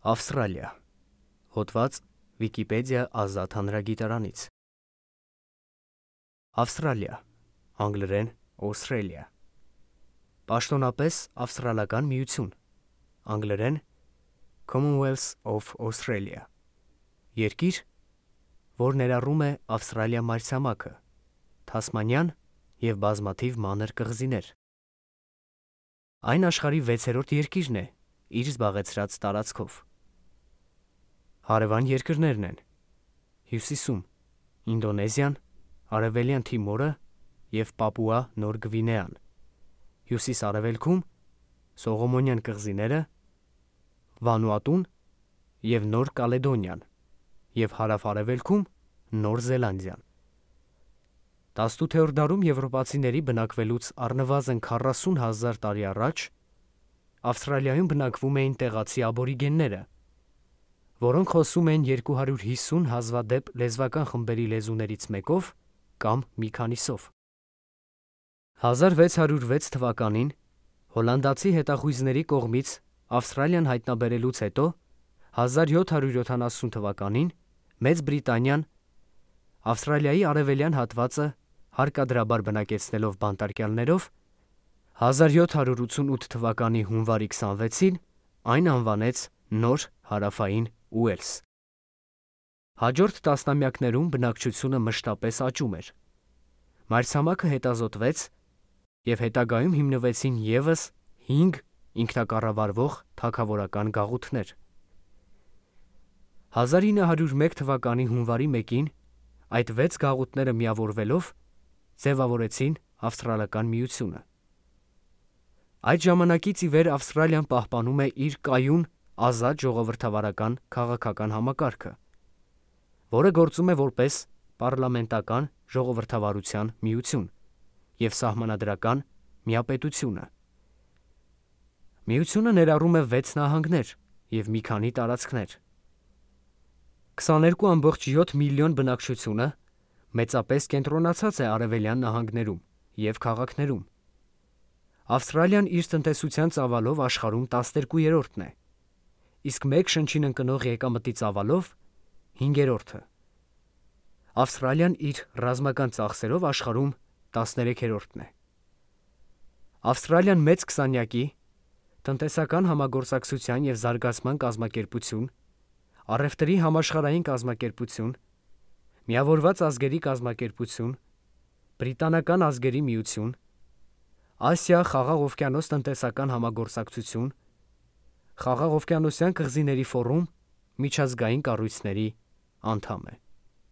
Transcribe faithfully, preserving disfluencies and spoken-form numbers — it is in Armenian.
Ավստրալիա։ Հոդված Վիկիպեդիա ազատ հանրագիտարանից։ Ավստրալիա, անգլերեն Australia։ Պաշտոնապես Ավստրալական միություն, անգլերեն Commonwealth of Australia։ Երկիր, որ ներառում է Ավստրալիա մայրցամաքը, Թասմանյան և բազմաթիվ մանր կղզիներ։ Այն աշխարհի վեցերորդ երկիրն է իր զբաղեցրած տարածքով։ Հարևան երկրներն են Հյուսիսում Ինդոնեզիան, Արևելյան Թիմորը և Պապուա Նոր Գվինեան, հյուսիս-արևելքում Սողոմոնյան կղզիները, Վանուատուն և Նոր Կալեդոնիան և հարավ-արևելքում Նոր Զելանդիան։ տասնութերորդ դարում եվրոպացիների բնակվելուց առնվազն քառասուն հազար տարի առաջ Ավստրալիայում բնակվում էին տեղացի աբորիգենները, որոնք խոսում էին երկու հարյուր հիսուն հազվադեպ լեզվական խմբերի լեզուներից մեկով կամ մի քանիսով։ հազար վեց հարյուր վեց թվականին հոլանդացի հետախույզների կողմից Ավստրալիան հայտնաբերելուց հետո հազար յոթ հարյուր յոթանասուն թվականին Մեծ Բրիտանիան Ավստրալիայի արևելյան հատվածը հարկադրաբար բնակեցնելով բանտարկյալներով հազար յոթ հարյուր ութսունութ թվականի հունվարի քսանվեցին այն անվանեց Նոր Հարավային Ուելս։ Հաջորդ տասնամյակներում բնակչությունը մշտապես աճում էր։ Մայրցամաքը հետազոտվեց և հետագայում հիմնվեցին ևս հինգ ինքնակառավարվող թագավորական գաղութներ։ հազար ինը հարյուր մեկ թվականի հունվարի մեկին այդ վեց գաղութները միավորվելով ձևավորեցին Ավստրալական միությունը։ Այդ ժամանակից ի վեր Ավստրալիան պահպանում է իր կայուն ազատ ժողովրդավարական քաղաքական համակարգը, որը գործում է որպես պառլամենտական ժողովրդավարության միություն և սահմանադրական միապետությունը։ Միությունը ներառում է վեց նահանգներ և մի քանի տարածքներ։ քսաներկու ամբողջ յոթ միլիոն բնակչությունը մեծապես կենտրոնացած է արևելյան նահանգներում և քաղաքներում։ Ավստրալիան իր տնտեսության ծավալով աշխարհում տասներկուերորդն է, իսկ մեկ շնչին ընկնող եկամտի ծավալով հինգերորդը։ Ավստրալիան իր ռազմական ծախսերով աշխարհում տասներեքերորդն է։ Ավստրալիան մեծ քսանյակի, տնտեսական համագործակցության և զարգացման կազմակերպություն, առևտրի համաշխարհային կազմակերպություն, Միավորված ազգերի կազմակերպություն, Բրիտանական ազգերի միություն, Ասիա-Խաղաղօվկիանոս տնտեսական համագործակցություն, Խաղաղօվկիանոսյան կղզիների ֆորում միջազգային կառույցների անդամ է։